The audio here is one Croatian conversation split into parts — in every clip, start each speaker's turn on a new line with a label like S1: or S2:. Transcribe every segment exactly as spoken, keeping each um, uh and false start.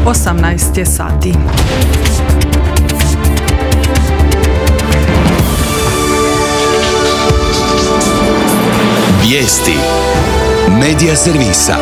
S1: osamnaest je sati.
S2: Vijesti Medija servisa.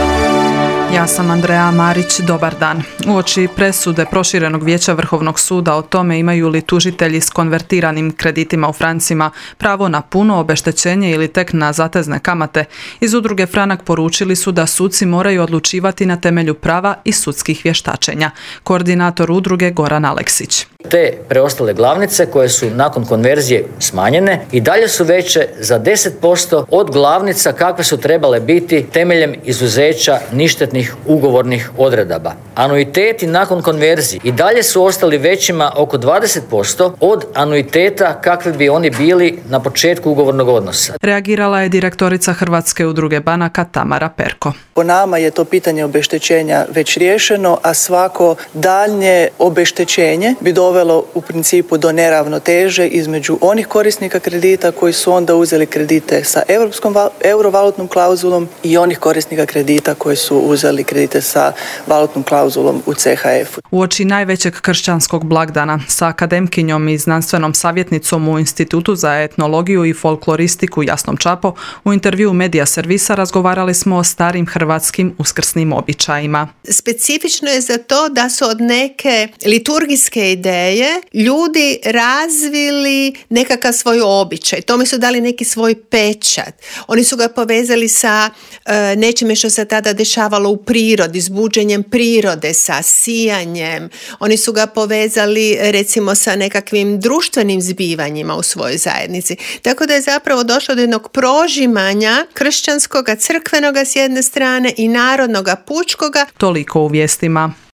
S1: Ja sam Andreja Marić, dobar dan. Uoči presude proširenog vijeća Vrhovnog suda o tome imaju li tužitelji s konvertiranim kreditima u francima pravo na puno obeštećenje ili tek na zatezne kamate, iz udruge Franak poručili su da suci moraju odlučivati na temelju prava i sudskih vještačenja. Koordinator udruge Goran Aleksić.
S3: Te preostale glavnice koje su nakon konverzije smanjene i dalje su veće za deset posto od glavnica kakve su trebale biti temeljem izuzeća ništetnih ugovornih odredaba. Anuiteti nakon konverzije i dalje su ostali većima oko dvadeset posto od anuiteta kakvi bi oni bili na početku ugovornog odnosa.
S1: Reagirala je direktorica Hrvatske udruge banaka Tamara Perko.
S4: Po nama je to pitanje obeštećenja već riješeno, a svako daljnje obeštećenje bi dovelo u principu do neravnoteže između onih korisnika kredita koji su onda uzeli kredite sa europskom eurovalutnom klauzulom i onih korisnika kredita koji su uzeli kredite sa valutnom klauzulom u C H F-u.
S1: Uoči najvećeg kršćanskog blagdana sa akademkinjom i znanstvenom savjetnicom u Institutu za etnologiju i folkloristiku Jasnom Čapo u intervjuu Medija servisa razgovarali smo o starim hrvatskim uskrsnim običajima.
S5: Specifično je za to da su od neke liturgijske ideje ljudi razvili nekakav svoj običaj. Tome su dali neki svoj pečat. Oni su ga povezali sa e, nečime što se tada dešavalo u prirodi, s buđenjem prirode, sa sijanjem. Oni su ga povezali recimo sa nekakvim društvenim zbivanjima u svojoj zajednici. Tako da je zapravo došlo do jednog prožimanja kršćanskoga, crkvenoga s jedne strane i narodnoga pučkoga.
S1: Toliko u vijestima.